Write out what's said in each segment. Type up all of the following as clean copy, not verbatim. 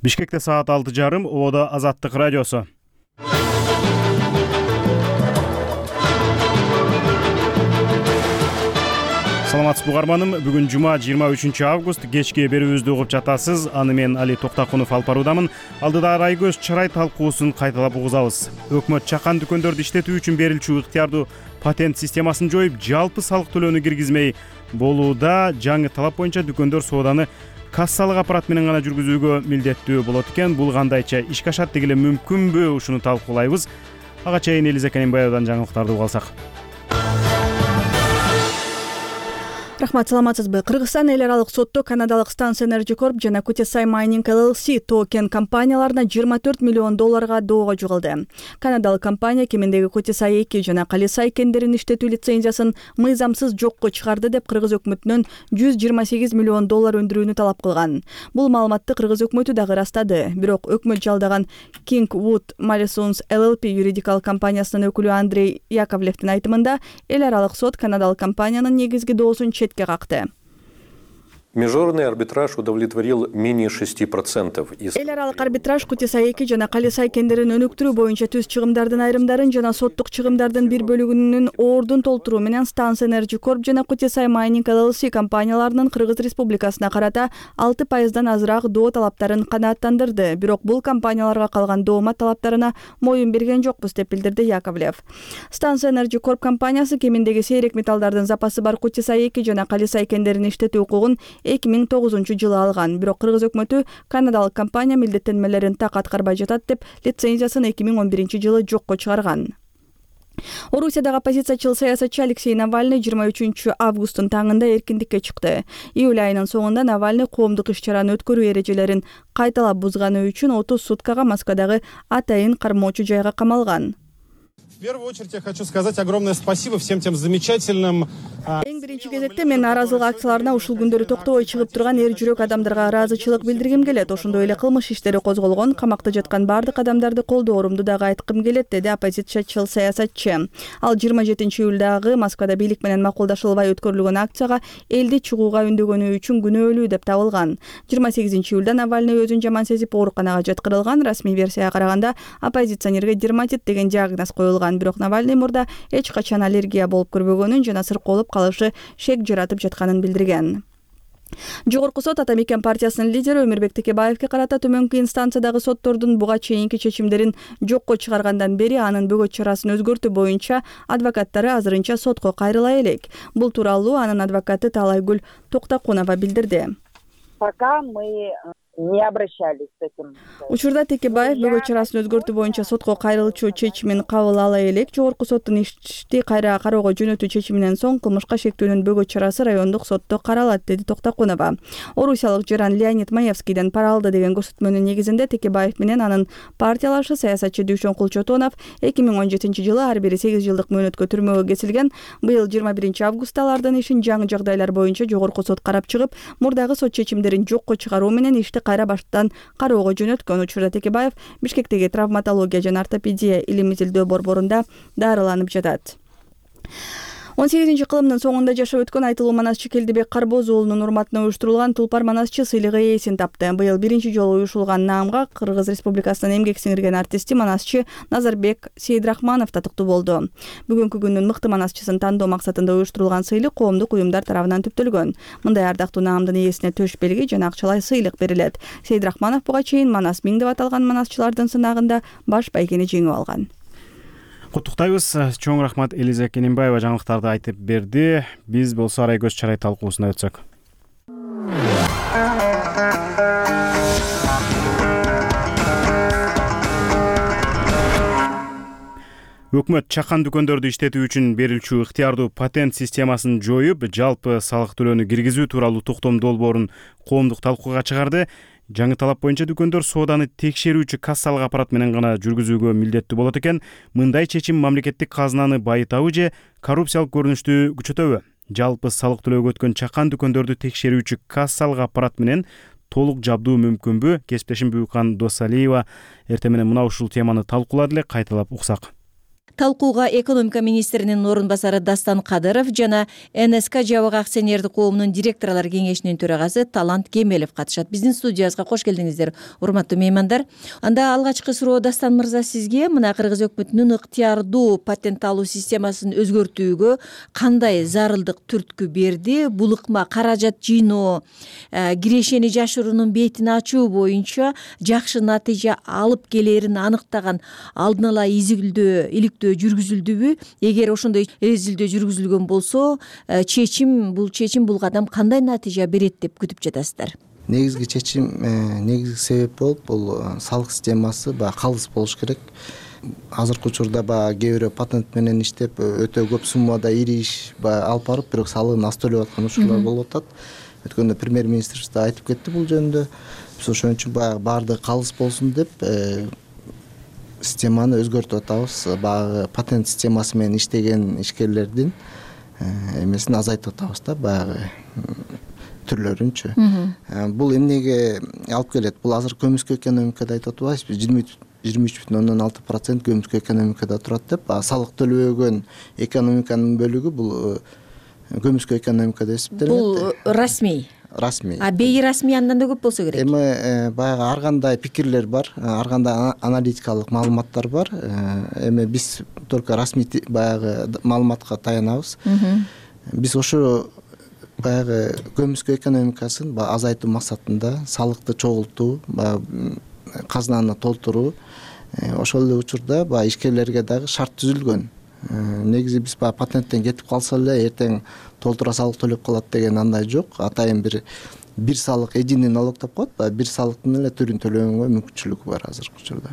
Бишкекте саат 6:30, Ободо Азаттык радиосу. Саламатсызбы угарманым. Бүгүн жума 23 август. Кечки берүүбүздү угуп жатасыз. Аны мен Али Токтакунов алып баруудамын. Алдыда Арайгөз чарай талкуусун кайталап угузабыз. Өкмөт чакан дүкөндөрдү иштетүү үчүн берилчү ыктыярдуу патент системасын жоюп, жалпы салык төлөөнү киргизмей болууда. Жаңы талап боюнча дүкөндөр сооданы кассалык аппарат менен гана жүргүзүүгө милдеттүү болот экен. Бул кандайча ишке ашат, деги эле мүмкүнбү? Ушуну талкуулайбыз. Ага чейин Элиза Кененбаевадан жаңылыктарды угуп алсак. Рахмат, саламатсызбы? Кыргызстан эл аралык сотто канадалык Stans Energy Corp жана Kutesai Mining LLC токен компанияларына $24 миллион доого жугулду. Канадалык компания кемендеги Kutesai 2 жана Kalisai кендерин иштетүү лицензиясын мыйзамсыз жокко чыгарды деп кыргыз өкмөтүнөн $128 миллион өндүрүүнү талап кылган. Бул маалыматты кыргыз өкмөтү дагы ырастады. Бирок өкмөт жалдаган Kingwood Mallesons LLP юридикалык компаниясынын өкүлү Андрей Яковлевдин айтымында, эл аралык сот канадалык компаниянын негизги доосун четке какты. Международный арбитраж удовлетворил менее 6% из... Эл аралык арбитраж Kutesai 2 жана Kalisai кендерин өнүктүрүү боюнча түз чыгымдардын айрымдарын жана соттук чыгымдардын бир бөлүгүнүн ордун толтуруу менен Stans Energy Corp жана Kutesai Mining LLC компанияларынын Кыргыз Республикасына карата 6% азыраак доо талаптарын канааттандырды. Бирок бул компанияларга калган доомат талаптарына моюн берген жокпуз деп билдирди Яковлев. Stans Energy Corp компаниясы кемендеги сейрек металлдардын запасы бар Kutesai 2 жана Kalisai кендерин иштетүү укугун 2009-жылы алган. Бирок кыргыз өкмөтү канадалык компания милдеттенмелерин так аткарбай жатат деп лицензиясын 2011-жылы жокко чыгарган. Орусиядагы оппозициячыл саясатчы Алексей Навальный 23 августтун таңында эркиндикке чыкты. Июль айынын соңунда Навальный коомдук иш-чараны өткөрүү эрежелерин кайталап бузганы үчүн 30 суткага Москвадагы атайын кармоочу жайга камалган. В первую очередь я хочу сказать огромное спасибо всем тем замечательным... Эң биринчи кезекте мен нааразылык акцияларына ушул күндөрү токтобой чыгып турган эр жүрөк адамдарга ыраазычылык билдиргим келет. Ошондой эле кылмыш иштери козголгон, камакта жаткан бардык адамдарды колдоорумду дагы айткым келет, деди оппозициячыл саясатчы. Ал 27 июлдагы Москвада бийлик менен макулдашылбай өткөрүлгөн акцияга элди чыгууга үндөгөнү үчүн күнөөлүү деп табылган. 28 июлда Навальный өзүн жаман сезип ооруканага жаткырылган. Расмий версияга караганда оппозиционерге дерматит деген диагноз коюлган. Бирок Навальный мурда эч качан аллергия болуп көрбөгөнүн жана сыркоолуп калышы шек жаратып жатканын билдирген. Жогорку сот Ата Мекен партиясынын лидери Өмүрбек Текебаевге карата төмөнкү инстанциядагы соттордун буга чейинки чечимдерин жокко чыгаргандан бери анын бөгөт чарасын өзгөртүү боюнча адвокаттары азырынча сотко кайрыла элек. Бул тууралуу анын адвокаты Таалайгүл Токтакунова билдирди. Пока мы не обращались с этим. Учурда Текебаев бөгөт чарасын өзгөртүү боюнча сотко кайрылчу чечимин кабыл ала элек. Жогорку соттун ишти кайра кароого жөнөтүү чечиминен соң кылмышка шектөөнүн бөгөт чарасы райондук сотто каралат, деди Токтакунова. Орусиялык жаран Леонид Маевскийден пара алды деген көрсөтмөнүн негизинде Текебаев менен анын партиялашы саясатчы Дүйшөн Кулчотонов 2017-жылы ар бири 8 жылдык мөөнөткө түрмөгө кесилген. Быйыл 21 августта алардын ишин жаңы жагдайлар боюнча жогорку сот карап чыгып, мурдагы сот чечимдерин жокко чыгаруу менен ишти кайра баштан кароого жөнөткөн. Учурда Текебаев Бишкектеги травматология жана ортопедия илим изилдөө борборунда дарыланып жатат. 18-кылымдын соңунда жашап өткөн айтылуу манасчы Келдибек Карбоз уулунун урматына уюштурулган Тулпар манасчы сыйлыгы ээсин тапты. Быйыл биринчи жолу уюшулган наамга Кыргыз Республикасынын эмгек сиңирген артисти манасчы Назарбек Сейдрахманов татыктуу болду. Бүгүнкү күндүн мыкты манасчысын тандоо максатында уюштурулган сыйлык коомдук уюмдар тарабынан түптөлгөн. Мындай ардактуу наамдын ээсине төш белги жана акчалай сыйлык берилет. Сейдрахманов буга чейин Манас Миң деп аталган манасчылардын сынагында баш байгени жеңип алган. Куттуктайбыз. Чоң рахмат. Элиза Кененбаева жаңылыктарды айтып берди. Биз болсо Арайгөз чарай талкуусуна өтсөк. Өкмөт чакан дүкөндөрдү иштетүү үчүн берилчү ыктыярдуу патент системасын жоюп, жалпы салык төлөөнү киргизүү тууралуу токтом долбоорун коомдук талкууга чыгарды. Жаңы талап боюнча дүкөндөр сооданы текшерүүчү кассалык аппарат менен гана жүргүзүүгө милдеттүү болот экен. Мындай чечим мамлекеттик казынаны байытабы же коррупциялык көрүнүштү күчөтөбү? Жалпы салык төлөөгө өткөн чакан дүкөндөрдү текшерүүчү кассалык аппарат менен толук жабдуу мүмкүнбү? Кесиптешим Бүкан Досалиева эртең менен мына ушул теманы талкуулады эле, кайталап уксак. талкууга экономика министринин орун басары Дастан Кадыров жана НСК жабык акционердик коомунун директорлор кеңешинин төрагасы Талант Кемелов катышат. Биздин студиябызга кош келдиңиздер, урматтуу меймандар. Анда алгачкы суроо Дастан мырза сизге. Мына Кыргыз өкмөтүнүн ыктыярдуу патент алуу системасын өзгөртүүгө кандай зарылдык түрткү берди? Бул ыкма каражат жыйноо, кирешени жашыруунун бетин ачуу боюнча жакшы натыйжа алып келерин аныктаган алдын ала иликтөө жүргүзүлдүбү? Эгер ошондой изилдөө жүргүзүлгөн болсо, бул чечим бул кадам кандай натыйжа берет деп күтүп жатасыздар? Негизги чечим, негизги себеп болуп бул салык системасы калыс болуш керек. Азыркы учурда кээ бирөө патент менен иштеп өтө көп суммада ири иш алып барып, бирок салыгын аз төлөп аткан учурлар болуп атат. Өткөндө премьер-министрибиз да айтып кетти бул жөнүндө. Биз ошон үчүн баардыгы калыс болсун деп системаны өзгөртүп атабыз. Баягы патент системасы менен иштеген ишкерлердин эмесин азайтып атабыз да, баягы түрлөрүнчү. Бул эмнеге алып келет? Бул азыр көмүскө экономикада айтып атпайбызбы? 23,6% көмүскө экономикада турат деп. Салык төлөбөгөн экономиканын бөлүгү бул көмүскө экономикада эсептелет. Бул расмий. Бейрасмий андан да көп болсо керек. Эми баягы ар кандай пикирлер бар, ар кандай аналитикалык маалыматтар бар. Эми биз только расмий баягы маалыматка таянабыз. Биз ошо баягы көмүскө экономикасын азайтуу максатында салыкты чогултуу, казнаны толтуруу, ошол эле учурда ишкерлерге дагы шарт түзүлгөн. Негизи биз патенттен кетип калса эле эртең толтура салык төлөп калат деген андай жок. Атайын бир салык, единый налог деп коет, бир салыктын эле түрүн төлөгөнгө мүмкүнчүлүк бар азыркы учурда.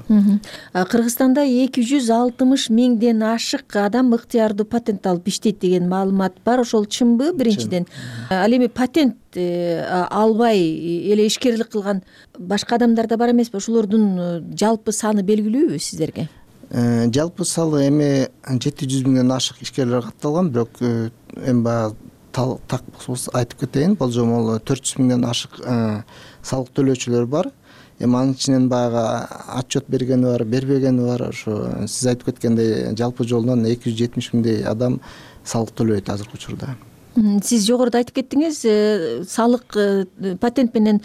Кыргызстанда 260 миңден ашык адам ыктыярдуу патент алып иштейт деген маалымат бар. Ошол чынбы? Биринчиден, ал эми патент албай эле ишкерлик кылган башка адамдар да бар эмеспи? Ошолордун жалпы саны белгилүүбү сиздерге? Жалпы салы эми 700 миңден ашык ишкерлер катталган, бирок эми так айтып кетейин, болжомол 400 миңден ашык салык төлөөчүлөр бар. Эми анын ичинен баягы отчет бергени бар, бербегени бар. Ошо сиз айтып кеткендей жалпы жолдон 270 миңдей адам салык төлөйт азыркы учурда. Сиз жогоруда айтып кеттиңиз, салык патент менен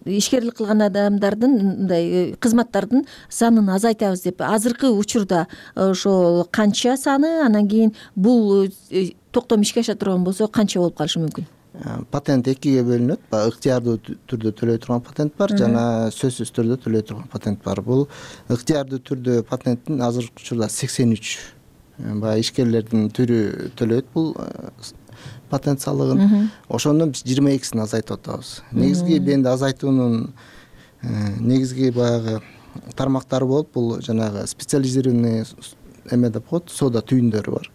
ишкерлик кылган адамдардын, мындай кызматтардын санын азайтабыз деп. Азыркы учурда ошол канча саны, анан кийин бул токтом ишке аша турган болсо канча болуп калышы мүмкүн? Патент экиге бөлүнөт. Ыктыярдуу түрдө төлөй турган патент бар, жана сөзсүз түрдө төлөй турган патент бар. Бул ыктыярдуу түрдө патенттин азыркы учурда 83 ишкерлердин түрү төлөйт бул патент салыгын. Ошондон биз 22-син азайтып атабыз. Негизги бенди азайтуунун негизги баягы тармактары болуп, бул жанагы специализированный эме деп коет, соода түйүндөрү бар.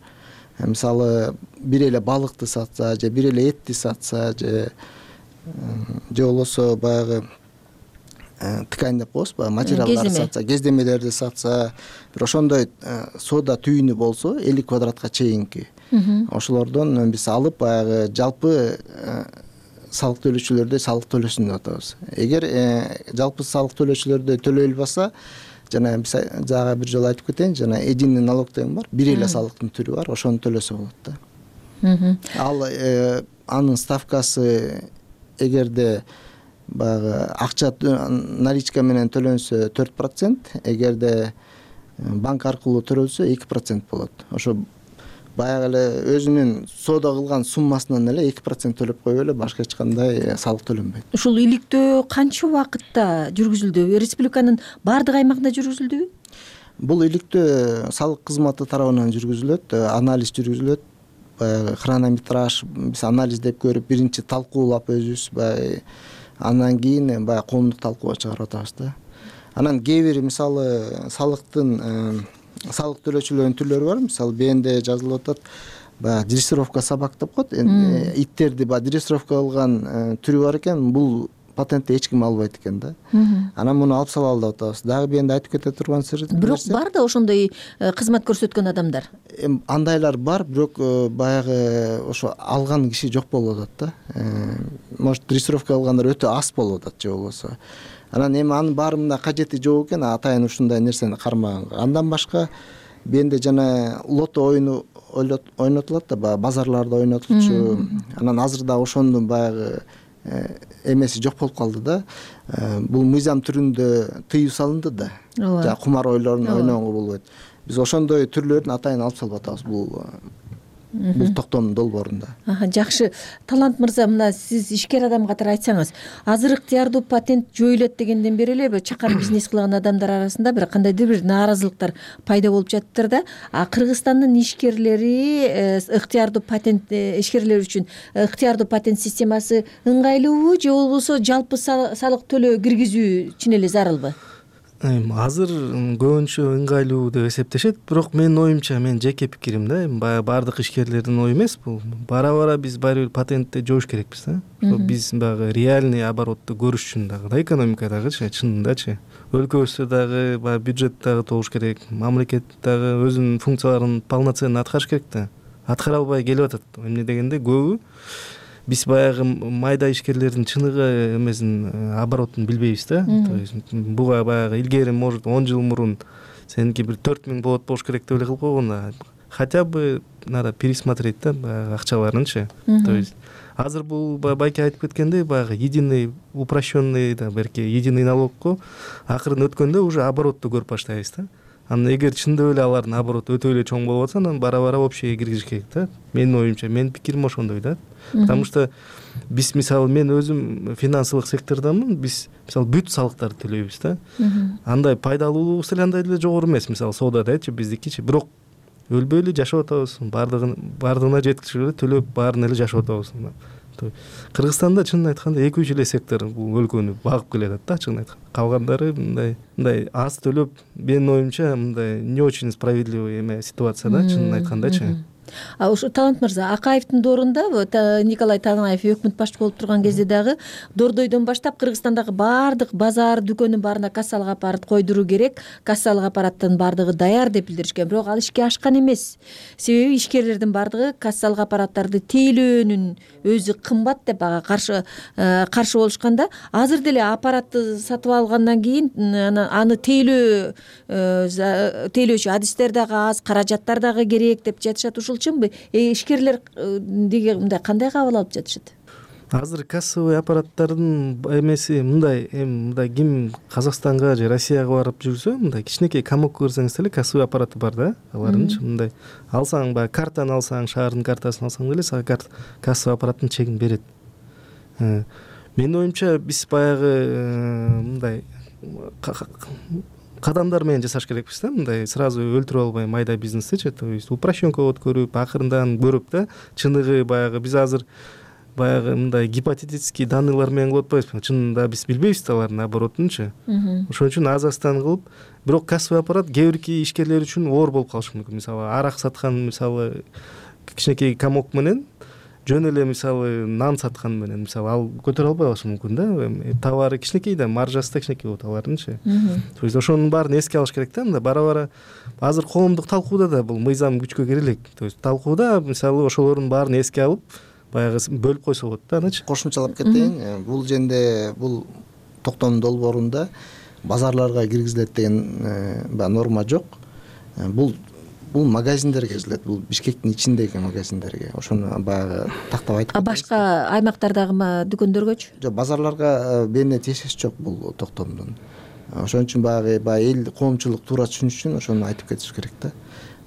Мисалы, бир эле балыкты сатса, же бир эле этти сатса, же болбосо баягы ткань деп коебуз, материалдарды сатса, кездемелерди сатса, бир ошондой соода түйүнү болсо 50 квадратка чейинки, ошолордон биз алып баягы жалпы салык төлөөчүлөрдө салык төлөсүн деп атабыз. Эгер жалпы салык төлөөчүлөрдө төлөй албаса, жана биз жагы бир жолу айтып кетейин, жана единый налог деген бар, бир эле салыктын түрү бар, ошону төлөсө болот да. Ал анын ставкасы эгерде баягы акча наличка менен төлөнсө 4%, эгерде банк аркылуу төлөнсө 2% болот. Ошо баягы эле өзүнүн соода кылган суммасынан эле 2% төлөп коюп эле башка эч кандай салык төлөнбөйт. Ушул иликтөө канча убакытта жүргүзүлдү? Республиканын баардык аймагында жүргүзүлдүбү? Бул иликтөө салык кызматы тарабынан жүргүзүлөт, анализ жүргүзүлөт. Баягы хронометраж биз анализдеп көрүп, биринчи талкуулап өзүбүз, баягы андан кийин баягы коомдук талкууга чыгарып атабыз да. Анан кээ бир мисалы салыктын салык төлөөчүлөрдүн түрлөрү бар. Мисалы, бенде жазылып атат, баягы дрессировка собак деп коет. Иттерди дрессировка кылган түрү бар экен, бул патентти эч ким албайт экен да. Анан муну алып салалы деп атабыз. Дагы бенде айтып кете турган нерсе. Бирок бар да ошондой кызмат көрсөткөн адамдар. Андайлар бар, бирок баягы ошо алган киши жок болуп атат да. Может, дрессировка кылгандар өтө аз болуп атат же болбосо. Анан эми анын баарында кажети жок экен, атайын ушундай нерсени кармаганга. Андан башка бенде жана лото оюну ойнотулат да, баягы базарларда ойнотулчу. Анан азыр да ошондун баягы эмеси жок болуп калды да. Бул мыйзам түрүндө тыюу салынды да. Жана кумар ойлорун ойногонго болбойт. Биз ошондой түрлөрүн атайын алып салып атабыз бул токтомдун долбоорунда. Жакшы. Талант мырза, мына сиз ишкер адам катары айтсаңыз, азыр ыктыярдуу патент жоюлат дегенден бери эле чакан бизнес кылган адамдар арасында бир кандайдыр бир нааразылыктар пайда болуп жатыптыр да. Кыргызстандын ишкерлери ыктыярдуу патент ишкерлер үчүн ыктыярдуу патент системасы ыңгайлуубу же болбосо жалпы салык төлөө киргизүү чын эле зарылбы? Азыр көбүнчө ыңгайлуу деп эсептешет, бирок менин оюмча, менин жеке пикирим да, баягы баардык ишкерлердин ою эмес бул. Бара биз баары бир патентти жоюш керекпиз да. Биз баягы реальный оборотту көрүш үчүн дагы да, экономикадагычы, чынындачы. Өлкөбүздө дагы баягы бюджет дагы толуш керек, мамлекет дагы өзүнүн функцияларын полноценно аткарыш керек да. Аткара албай келип атат. Эмне дегенде көбү биз баягы майда ишкерлердин чыныгы эмесин, оборотун билбейбиз да. То есть буга баягы илгери может 10 жыл мурун сеники бир 4000 болуш керек деп эле кылып койгон да. Хотя бы надо пересмотреть да баягы акчаларынчы. То есть азыр бул байке айтып кеткендей баягы единый упрощенный да, берки единый налогко акырын өткөндө уже оборотту көрүп баштайбыз да. Анан эгер чындап эле алардын обороты өтө эле чоң болуп атса, анан бара общийге киргизиш керек да. Менин оюмча, менин пикирим ошондой да. Потому что биз мисалы мен өзүм финансылык сектордамын, биз мисалы бүт салыктарды төлөйбүз да. Андай пайдалуулугубуз деле андай деле жогору эмес, мисалы соодадачы биздикичи, бирок өлбөй эле жашап атабыз, бардыгына жеткичип эле төлөп баарын эле жашап атабыз. Кыргызстанда чынын айтканда 2-3 эле сектор бул өлкөнү багып келатат да, чынын айтканда. Калгандары мындай аз төлөп, менин оюмча мындай не очень справедливый эме ситуация да, чынын айткандачы. Ушу Талант мырза, Акаевдин доорунда Николай Танаев өкмөт башчы болуп турган кезде дагы Дордойдон баштап Кыргызстандагы баардык базар, дүкөндүн баарына кассалык аппарат койдуруу керек, кассалык аппараттын баардыгы даяр деп билдиришкен. Бирок ал ишке ашкан эмес. Себеби ишкерлердин баардыгы кассалык аппараттарды тейлөөнүн өзү кымбат деп каршы болушканда, азыр деле аппаратты сатып алгандан кийин аны тейлөөчү адистер дагы аз, каражаттар дагы керек деп жатышат. Ушул чынбы? Ишкерлер мындай кандай кабыл алып жатышат? Азыр кассовый аппараттардын эмеси мындай ким Казакстанга же Россияга барып жүрсө, мындай кичинекей комокко кирсеңиз эле кассовый аппараты бар да, алардынчы мындай. Алсаң баягы картаны алсаң, шаардын картасын алсаң деле сага кассовый аппараттын чегин берет. Менин оюмча биз баягы мындай кадамдар менен жасаш керекпиз да, мындай сразу өлтүрүп албай майда бизнестичи, то есть упрощенка өткөрүп, акырындан көрүп да, чыныгы баягы биз азыр баягы мындай гипотетический данныйлар менен кылып атпайбызбы, чынында биз билбейбиз да алардын оборотунчу. Ошон үчүн аз-аздан кылып, бирок кассовый аппарат кээ бирки ишкерлер үчүн оор болуп калышы мүмкүн. Мисалы арак саткан мисалы кичинекей комок менен жөн эле мисалы нан саткан менен мисалы ал көтөрө албай калышы мүмкүн да. Товары кичинекей да, маржасы да кичинекей болот алардынчы. То есть ошонун баарын эске алыш керек да. Мында бара азыр коомдук талкууда да бул мыйзам күчкө кире элек. То есть талкууда мисалы ошолордун баарын эске алып баягы бөлүп койсо болот да, анычы. Кошумчалап кетейин. Бул жерде бул токтомдун долбоорунда базарларга киргизилет деген норма жок. Бул магазиндерге киргизилет, бул Бишкектин ичиндеги магазиндерге. Ошону баягы тактап айтып. Башка аймактардагы дүкөндөргөчү? Жок, базарларга бээне тиешеси жок бул токтомдун. Ошон үчүн баягы эл коомчулук туура түшүнүш үчүн ошону айтып кетиш керек да.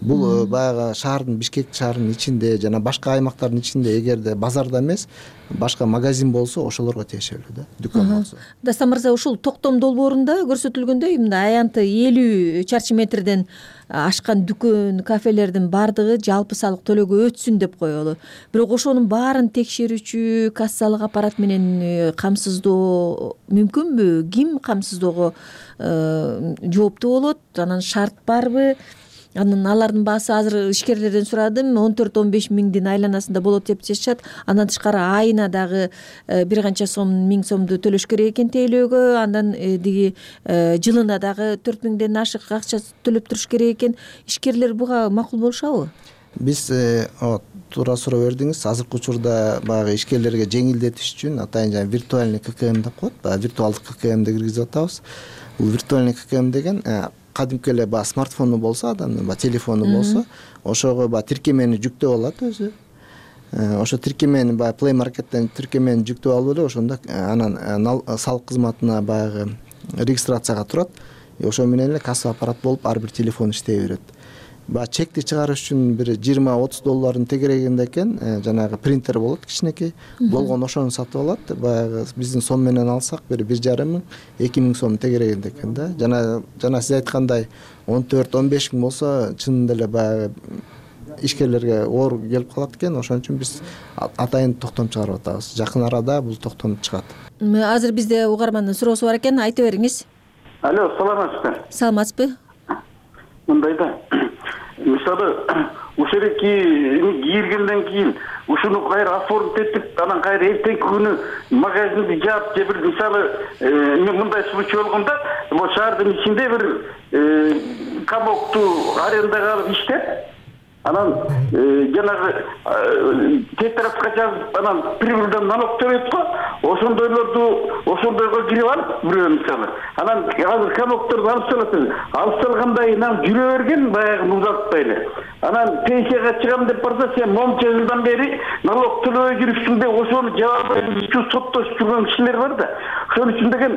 Бул баягы шаардын, Бишкек шаарынын ичинде жана башка аймактардын ичинде эгерде базарда эмес, башка магазин болсо ошолорго тиешелүү да, дүкөн болсо. Дастан мырза, ушул токтом долбоорунда көрсөтүлгөндөй мындай аянты 50 чарчы метрден ашкан дүкөн, кафелердин баардыгы жалпы салык төлөөгө өтсүн деп коелу. Бирок ошонун баарын текшерүүчү кассалык аппарат менен камсыздоо мүмкүнбү? Ким камсыздоого жооптуу болот? Анан шарт барбы? Анан алардын баасы азыр ишкерлерден сурадым, 14-15 миңдин айланасында болот деп жатышат. Андан тышкары айына дагы бир канча миң сомду төлөш керек экен тейлөөгө, андан диги жылына дагы 4 миңден ашык акча төлөп туруш керек экен. Ишкерлер буга макул болушабы? Биз туура суроо бердиңиз. Азыркы учурда баягы ишкерлерге жеңилдетиш үчүн атайын жана виртуальный ККМ деп коет, баягы виртуалдык ККМди киргизип атабыз. Бул виртуальный ККМ деген кадимки эле баягы смартфону болсо, адамдын баягы телефону болсо, ошого баягы тиркемени жүктөп алат өзү. Ошо тиркемени баягы Play Market'тен тиркемени жүктөп алып эле ошондо анан салык кызматына баягы регистрацияга турат. Ошо менен эле касса аппарат болуп ар бир телефон иштей берет. Баягы чекти чыгарыш үчүн бир $20-30 тегерегинде экен, жанагы принтер болот кичинекей. Болгон ошону сатып алат. Баягы биздин сом менен алсак бир 1,5 мың, 2 мың сом тегерегинде экен да. Жана сиз айткандай 14-15 мың болсо чынында эле баягы ишкерлерге оор келип калат экен. Ошон үчүн биз атайын токтом чыгарып атабыз. Жакын арада бул токтом чыгат. Азыр бизде угармандын суроосу бар экен, айта бериңиз. Алло, саламатсызбы? Саламатсызбы? Мындай да. Мисалы, ошол кийилгенден кийин ушуну кайра оформить этип, анан кайра эртеңки күнү магазинди жаап же бир мисалы мындай случай болгондо, могу шаардын ичинде бир камокту арендага алып иштеп, анан жанагы тетрадка жазып, анан прибыльдан налог төлөйт го, ошондойго кирип алып бирөө мисалы. Анан азыр камокторду алып салат. Алып салгандан кийин жүрө берген, баягы узатпай эле. Анан пенсияга чыгам деп барса, сен монча жылдан бери налог төлөбөй жүрүпсүң деп ошону жаап соттошуп жүргөн кишилер бар да. Ошон үчүн деген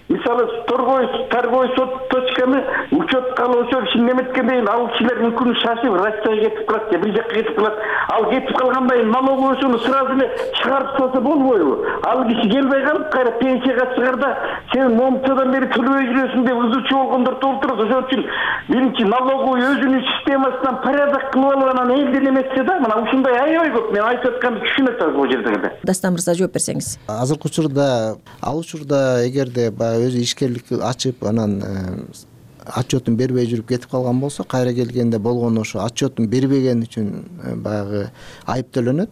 мисалы торговый точканы учетка алып ошол ишин неметкенден ал кишилер мүмкүн шашып Россияга кетип калат, же бир жакка кетип калат. Ал кетип калгандан кийин налоговыйсуну сразу эле чыгарып салса болбойбу? Ал киши келбей калып, кайра пенсияга чыгарда сен момчадан бери төлөбөй жүрөсүң деп ызычы болгондор толтурат. Ошон үчүн биринчи налоговый өзүнүн системасынан порядок кылып алып, анан элдин эметсе да, мына ушундай аябай көп. Мен айтып атканды түшүнөт азыр бул жерде. Дастан мырза жооп берсеңиз. Азыркы учурда, ал учурда эгерде өзү ишкерлик ачып, анан отчетун бербей жүрүп кетип калган болсо, кайра келгенде болгону ошо отчетун бербеген үчүн баягы айып төлөнөт.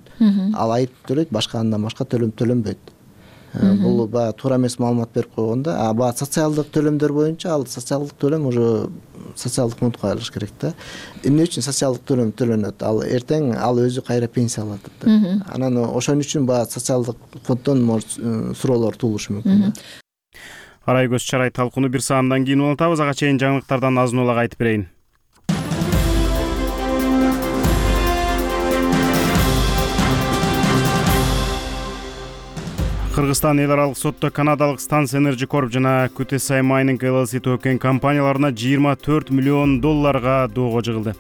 Ал айып төлөйт, башка андан башка төлөм төлөнбөйт. Бул баягы туура эмес маалымат берип койгондо, баягы социалдык төлөмдөр боюнча ал социалдык төлөм уже социалдык фондко кайрылыш керек да. Эмне үчүн социалдык төлөм төлөнөт? Ал эртең ал өзү кайра пенсия алат да. Анан ошон үчүн баягы социалдык фонддон суроолор туулушу мүмкүн. Арай көз чарай талкууну бир саамдан кийин улантабыз. Ага чейин жаңылыктардан азын улак айтып берейин. Кыргызстан эл аралык сотто канадалык Stans Energy Corp жана QTSI Mining LLC төкөн компанияларына $24 миллион доого жыгылды.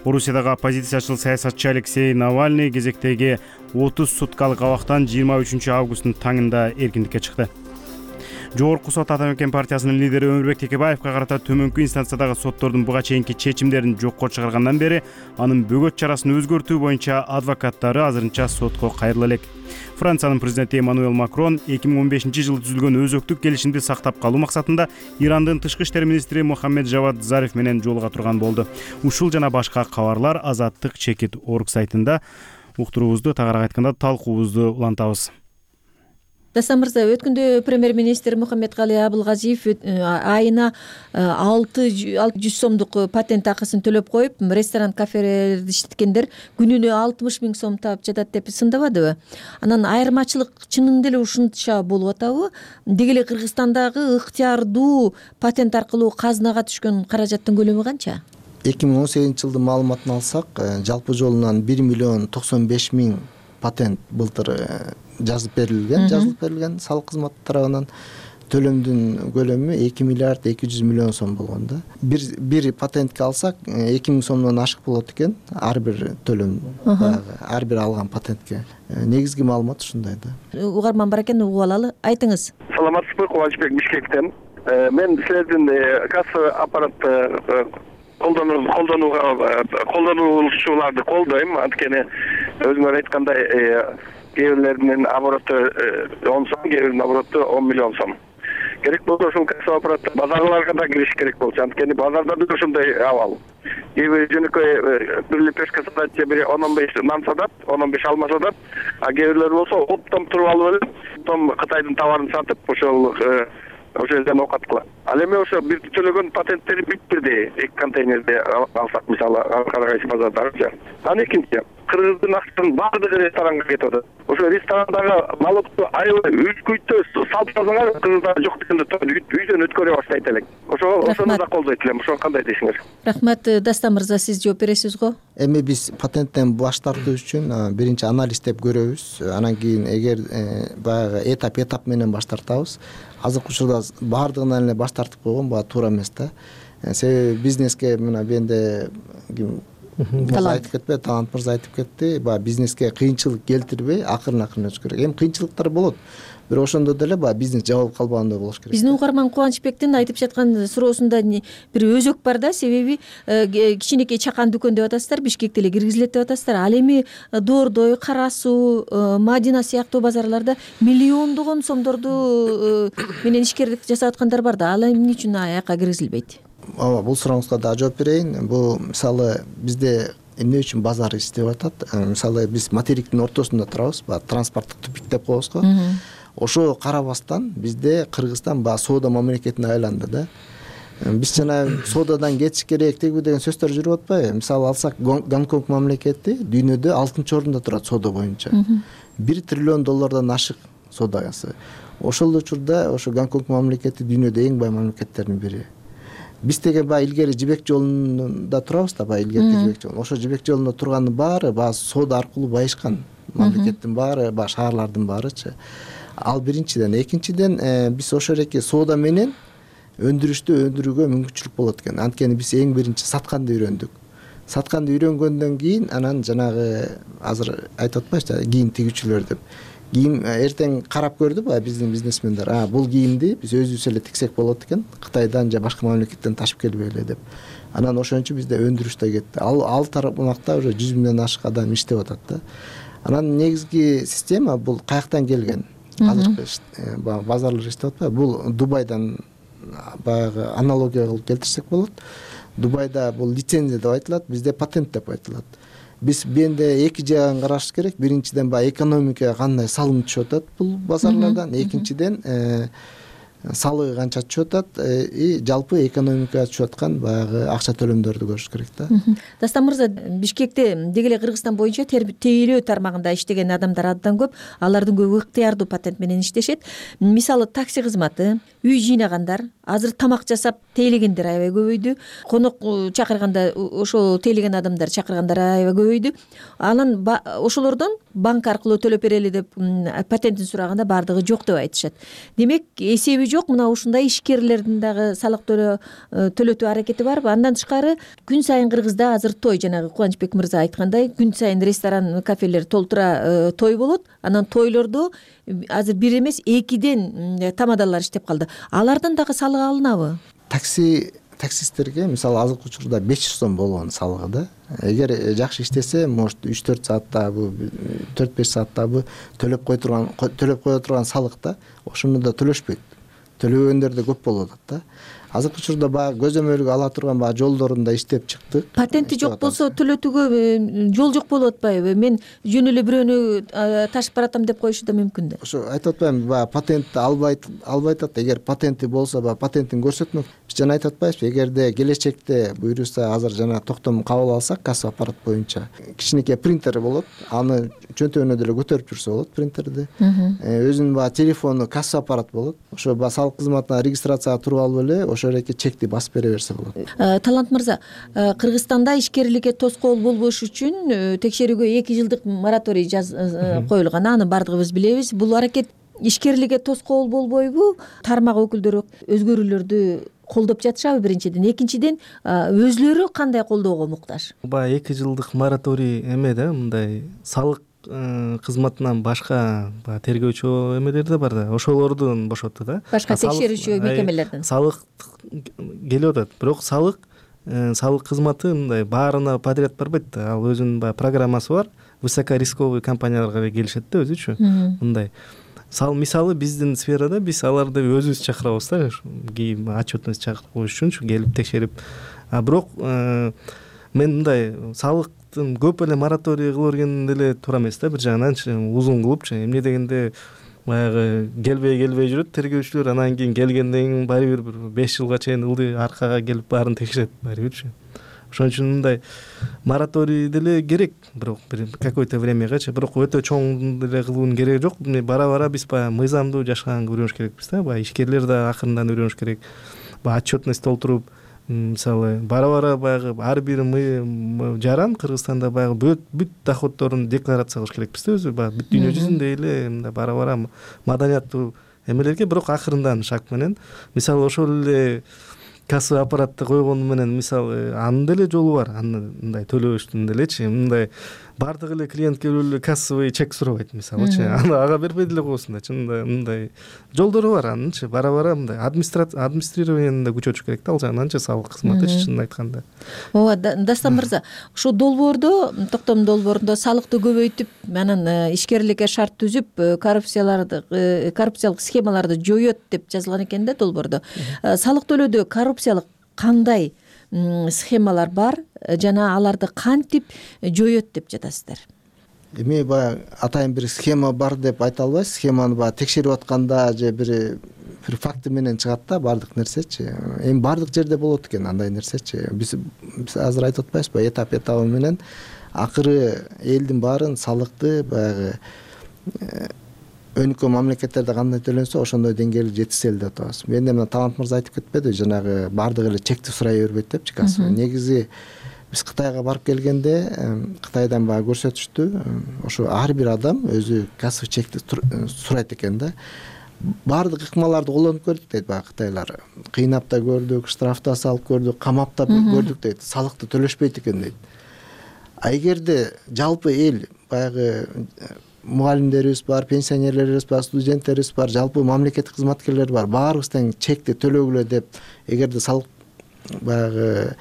Орусиядагы оппозициячыл саясатчы Алексей Навальный кезектеги 30 суткалык абактан 23 августтун таңында эркиндикке чыкты. Жогорку сот Ата Мекен партиясынын лидери Өмүрбек Текебаевга карата төмөнкү инстанциядагы соттордун буга чейинки чечимдерин жокко чыгаргандан бери анын бөгөт чарасын өзгөртүү боюнча адвокаттары азырынча сотко кайрыла элек. Франциянын президенти Эммануэль Макрон 2015-жылы түзүлгөн өзөктүк келишимди сактап калуу максатында Ирандын тышкы иштер министри Мохаммед Жавад Зариф менен жолуга турган болду. Ушул жана башка кабарлар Азаттык чекит орг сайтында. Уктуруубузду тагыраак айтканда талкуубузду улантабыз. Дастан мырза, өткөндө премьер-министр Мухаммедкали Абылгазиев айына 600 сомдук патент акысын төлөп коюп, ресторан, кафелерди иштеткендер күнүнө 60 000 сом таап жатат деп сындабадыбы? Анан айырмачылык чынында эле ушунча болуп атабы? Деги эле Кыргызстандагы ыктыярдуу патент аркылуу казынага түшкөн каражаттын көлөмү канча? 2018-жылдын маалыматын алсак, жалпы жолунан 1,95 миллион патент былтыр жазылып берилген салык кызматы тарабынан. Төлөмдүн көлөмү 2 миллиард 200 миллион сом болгон да. Бир патентке алсак 2000 сомдон ашык болот экен ар бир төлөм, ар бир алган патентке. Негизги маалымат ушундай да. Угарман бар экен, угуп алалы. Айтыңыз. Саламатсызбы, Кубанычбек Бишкектен. Мен силердин касса аппаратты колдонуучуларды колдойм. Анткени өзүңөр айткандай кээ бирлеринин обороту 10 сом, кээ биринин обороту 10 миллион сом. Керек болсо ушул касса аппаратты базарларга да кириш керек болчу. Анткени базарда да ушундай абал. Кээ жөнөкөй бир лепешка сатат, же бири 10-15 нан сатат, 10-15 алма сатат. А кээ бирлер болсо оптом туруп алып эле, оптом Кытайдын товарын сатып, ошол жерден окат кылат. Ал эми ошо бир төлөгөн патенттери бүтпүрдей эки контейнерде алсак, мисалы Карагайсы базардарча. Анан экинчи, кыргыздын акчасынын баардыгы ресторанга кетип атат. Ошо ресторандагы налогду аябай үчкүйтө салып салсаңар, кыргыздар жок дегенде үйдөн өткөрө баштайт элек. ошону да колдойт элем. Ошону кандай дейсиңер? Рахмат. Дастан мырза, сиз жооп бересиз го? Эми биз патенттен баш тартуу үчүн биринчи анализдеп көрөбүз. Анан кийин эгер баягы этап менен баш тартабыз. Азыркы учурда баардыгынан эле баш тартып койгон баа туура эмес да. Себеби бизнеске мына бенде айтып кетпей, Талант мырза айтып кетти. Бизнеске кыйынчылык келтирбей, акырын өтүш керек. Эми кыйынчылыктар болот. Бирок ошондо деле бизнес жабылып калбагандай болуш керек. Биздин угарман Кубанычбектин айтып жаткан суроосунда бир өзөк бар да. Себеби кичинекей чакан дүкөн деп атасыздар, Бишкекте эле киргизилет деп атасыздар. Ал эми Доордой, Кара Суу, Мадина сыяктуу базарларда миллиондогон сомдорду менен ишкерлик жасап аткандар бар да. Ал эмне үчүн аяка киргизилбейт? Ооба, бул сурооңузга да жооп берейин. Бул мисалы бизде эмне үчүн базар иштеп атат? Мисалы биз материктин ортосунда турабыз, транспорттук тупик деп коебуз го. Ошо карабастан бизде Кыргызстан соода мамлекетине айланды да. Биз жана соодадан кетиш керек деген сөздөр жүрүп атпайбы? Мисалы алсак, Гонконг мамлекети дүйнөдө 6-орунда турат соода боюнча. $1 триллион ашык соодасы. Ошол учурда ошо Гонконг мамлекети дүйнөдө эң бай мамлекеттердин бири. Биз деген илгери жибек жолунда турабыз да, илгерки жибек жолу. Ошо жибек жолунда турганын баары соода аркылуу байышкан. Мамлекеттин баары, шаарлардын баарычы. Ал биринчиден, экинчиден биз ошол эки соода менен өндүрүүгө мүмкүнчүлүк болот экен. Анткени биз эң биринчи сатканды үйрөндүк. Сатканды үйрөнгөндөн кийин анан жанагы азыр айтып атпайбызбы, кийим тигүүчүлөр деп. Кийим эртең карап көрдү биздин бизнесмендер. Бул кийимди биз өзүбүз эле тиксек болот экен, Кытайдан же башка мамлекеттен ташып келбей эле деп. Анан ошончу бизде өндүрүш да кетти. Ал тармакта уже 100 миңден ашык адам иштеп атат да. Анан негизги система бул каяктан келген? Азыркы базарлар иштеп атпайбы? Бул Дубайдан баягы аналогия кылып келтирсек болот. Дубайда бул лицензия деп айтылат, бизде патент деп айтылат. Биз бенде эки жагын караш керек. Биринчиден экономикага кандай салым түшүп атат бул базарлардан, экинчиден салыгы канча түшүп атат и жалпы экономикага түшүп аткан баягы акча төлөмдөрдү көрүш керек да. Дастан мырза, Бишкекте деги эле Кыргызстан боюнча тейлөө тармагында иштеген адамдар абдан көп. Алардын көбү ыктыярдуу патент менен иштешет. Мисалы такси кызматы, үй жыйнагандар, азыр тамак жасап тейлегендер аябай көбөйдү. Конок чакырганда ошо тейлеген адамдар чакыргандар аябай көбөйдү. Анан ошолордон банк аркылуу төлөп берели деп патентин сураганда баардыгы жок деп айтышат. Демек, эсеби жок, мына ушундай ишкерлердин дагы салык төлөтүү аракети барбы? Андан тышкары күн сайын Кыргызда азыр той, жанагы Кубанычбек мырза айткандай, күн сайын ресторан, кафелер толтура той болот. Анан тойлордо азыр бир эмес 2ден тамадалар иштеп калды. Алардан дагы салык алынабы? Таксисттерге мисалы азыркы учурда 500 сом болгон салыгы да. Эгер жакшы иштесе, может 3-4 сааттабы, 4-5 сааттабы төлөп кое турган салык да, ошону да төлөшпөйт. Төлөгөндөр да көп болуп атат да. Азыркы учурда көзөмөлгө ала турган жолдорунда иштеп чыктык. Патенти жок болсо төлөтүүгө жол жок болуп атпайбы? Мен жөн эле бирөөнү ташып баратам деп коюшу да мүмкүн да. Ошо айтып атпаймынбы, патентти албайт атат. Эгер патенти болсо, патентин көрсөтмөк. Биз жана айтып атпайбызбы, эгерде келечекте буюрса азыр жана токтом кабыл алсак, касса аппарат боюнча кичинекей принтер болот. Аны чөнтөгүнө деле көтөрүп жүрсө болот принтерди. Өзүнүн телефону касса аппарат болот. Ошо салык кызматына регистрацияга туруп алып эле ошол эки чекти басып бере берсе болот. Талант мырза, Кыргызстанда ишкерликке тоскоол болбош үчүн текшерүүгө 2 жылдык мораторий коюлган. Аны баардыгыбыз билебиз. Бул аракет ишкерликке тоскоол болбойбу? Тармак өкүлдөрү өзгөрүүлөрдү колдоп жатышабы биринчиден? Экинчиден, өзлөрү кандай колдоого муктаж? 2 жылдык мораторий эме да, мындай салык кызматынан башка тергөөчү эмелер да бар да, ошолордун бошотту да. Башка текшерүүчү мекемелердин. Салык келип атат, бирок салык кызматы мындай баарына подряд барбайт да. Ал өзүнүн программасы бар. Высокорисковый компанияларга келишет да өзүчү. Мындай. Мисалы биздин сферада биз аларды өзүбүз чакырабыз да, кийин отчетность чакырып коюш үчүнчү келип текшерип. Бирок мен мындай салыктын көп эле мораторий кыла берген деле туура эмес да, бир жагынан узун кылыпчы. Эмне дегенде баягы келбей жүрөт тергөөчүлөр, анан кийин келгенден кийин баары бир 5 жылга чейин ылдый аркага келип баарын текшерет баары бирчи. Ошон үчүн мындай мораторий деле керек, бирок бир какое-то времягачы, бирок өтө чоң деле кылуунун кереги жок. Бара биз мыйзамдуу жашаганга үйрөнүш керекпиз да, ишкерлер да акырындан үйрөнүш керек. баягы отчетность толтуруп, мисалы бара баягы ар бир жаран Кыргызстанда баягы бүт доходдорун декларация кылыш керекпиз да, өзү баягы бүт дүйнө жүзүндө эле мындай бара маданияттуу эмелерге. Бирок акырындан шаг менен, мисалы ошол эле кассовый аппаратты койгону менен, мисалы анын деле жолу бар, мындай төлөштүн делечи, мындай баардык эле клиент келип эле кассовый чек сурабайт мисалычы, ага бербей деле коесуң да, чынында мындай жолдору бар анынчы. Бара мындай администрированияны да күчөтүш керек да, ал жагынан салык кызматычы, чынын айтканда. Ооба, Дастан мырза, ушул долбоордо, токтом долбоорунда салыкты көбөйтүп, анан ишкерликке шарт түзүп, коррупциялык схемаларды жоёт деп жазылган экен да долбоордо. Салык төлөөдө коррупциялык кандай схемалар бар жана аларды кантип жоёт деп жатасыздар? Эми баягы атайын бир схема бар деп айта албайбыз. Схеманы баягы текшерип атканда же бир факты менен чыгат да баардык нерсечи. Эми баардык жерде болот экен андай нерсечи. Биз азыр айтып атпайбызбы, этап менен акыры элдин баарын салыкты баягы өнүккөн мамлекеттерде кандай төлөнсө ошондой деңгээлге жеткизели деп атабыз. Мен мына Талант мырза айтып кетпеди, жанагы баардык эле чекти сурай бербейт депчи кассовый. Негизи биз Кытайга барып келгенде Кытайдан баягы көрсөтүштү, ошо ар бир адам өзү кассовый чекти сурайт экен да. Баардык ыкмаларды колдонуп көрдүк дейт баягы кытайлар. Кыйнап да көрдүк, штраф да салып көрдүк, камап да көрдүк дейт. Салыкты төлөшпөйт экен дейт. А эгерде жалпы эл баягы мугалимдерибиз бар, пенсионерлерибиз бар, студенттерибиз бар, жалпы мамлекеттик кызматкерлер бар, баарыбыз тең чекти төлөгүлө деп эгерде салык баягы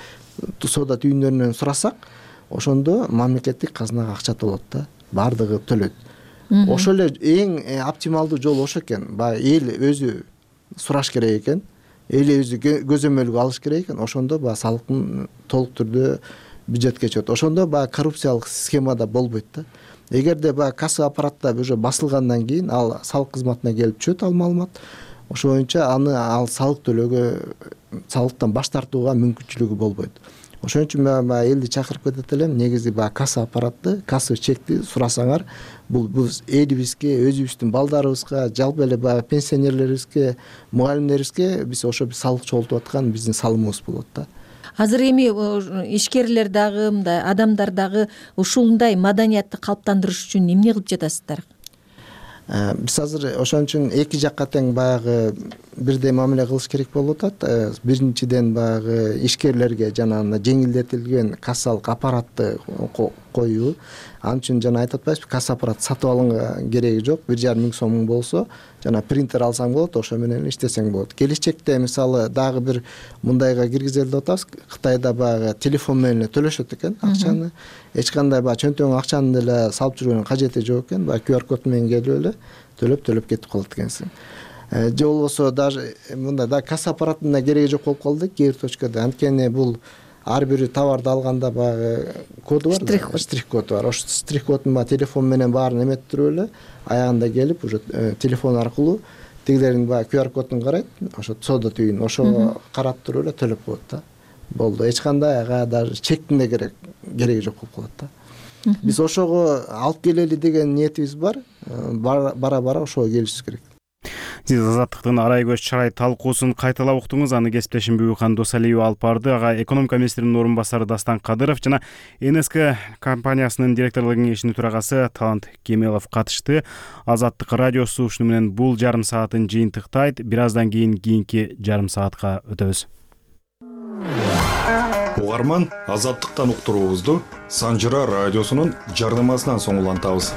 соода түйүндөрүнөн сурасак, ошондо мамлекеттик казынага акча толот да, баардыгы төлөйт. Ошол эле эң оптималдуу жол ошо экен. Баягы эл өзү сураш керек экен, эл өзү көзөмөлгө алыш керек экен. Ошондо баягы салыктын толук түрдө бюджетке чыгат. Ошондо баягы коррупциялык схемада болбойт да. Эгерде баягы кассовый аппаратта уже басылгандан кийин ал салык кызматына келип түшөт ал маалымат, ошо боюнча ал салык төлөөгө, салыктан баш тартууга мүмкүнчүлүгү болбойт. Ошон үчүн мен элди чакырып кетет элем, негизи баягы кассовый аппаратты, кассовый чекти сурасаңар, бул элибизге, өзүбүздүн балдарыбызга, жалпы эле баягы пенсионерлерибизге, мугалимдерибизге биз ошо салык чогултуп аткан биздин салымыбыз болот да. Азыр эми ишкерлер дагы, мындай адамдар дагы ушундай маданиятты калыптандырыш үчүн эмне кылып жатасыздар? Биз азыр ошон үчүн эки жакка тең баягы бирдей мамиле кылыш керек болуп атат. Биринчиден баягы ишкерлерге жана жеңилдетилген кассалык аппаратты коюу. Ал үчүн жана айтып атпайбызбы, касса аппарат сатып алганга кереги жок. 1,5 миң сом болсо, жана принтер алсаң болот, ошо менен иштесең болот. Келечекте мисалы дагы бир мындайга киргизели деп атабыз. Кытайда баягы телефон менен төлөшөт экен акчаны. Эч кандай баягы чөнтөгүн акчаны деле салып жүргөнүн кажети жок экен. Баягы QR код менен келип эле төлөп кетип калат экенсиң. Же болбосо даже мындай да касса аппаратына кереги жок болуп калды кээ бир точкада. Анткени бул ар бир товарды алганда баягы коду бар, штрих коду бар. Ошо штрих кодун телефон менен баарын эметип туруп эле аягында келип уже телефон аркылуу тигилердин баягы QR кодун карайт, ошо соода түйүн, ошо карап туруп эле төлөп коет да. Болду. Эч кандай ага даже чектин да кереги жок болуп калат да. Биз ошого алып келели деген ниетибиз бар. Бара ошого келишибиз керек. Сиз Азаттыктын арай көз чарай талкуусун кайталап уктуңуз. Аны кесиптешим Бүбүкхан Досалиева алып барды. Ага экономика министринин орун басары Дастан Кадыров жана НСК компаниясынын директорлук кеңешинин төрагасы Талант Кемелов катышты. Азаттык радиосу ушуну менен бул жарым саатын жыйынтыктайт. Бир аздан кийинки жарым саатка өтөбүз. Угарман, Азаттыктан уктуруубузду Санжыра радиосунун жардамасынан соң улантабыз.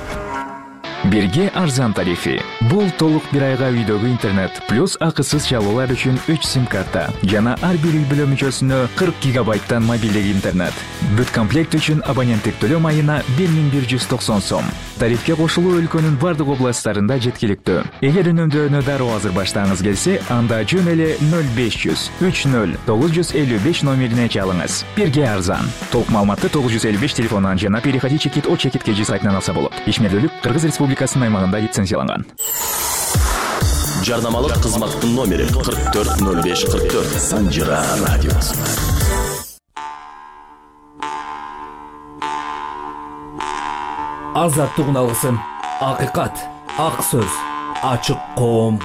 Бирге арзан тарифи. Бул толук бир айга үйдөгү интернет плюс акысыз чалуулар үчүн 3 сим-карта жана ар бир үй бүлө мүчөсүнө 40 гигабайттан мобилдик интернет. Бүт комплект үчүн абоненттик төлөм айына 1190 сом. Тарифке кошулуу өлкөнүн бардык областтарында жеткиликтүү. Эгер үнөмдөөнү дароо азыр баштагыңыз келсе, анда жөн эле 0500 30 955 номерине чалыңыз. Бирге арзан. Толук маалыматты 955 телефонунан жана переходи чекит о чекит кежи сайтынан алса болот. Ишмердүүлүк Кыргыз Республикасынын аймагында лицензияланган. Жарнамалык кызматтын номери 440544. Санжыра радиосу. Азаттык уналгысын, акыйкат, ак сөз, ачык коом.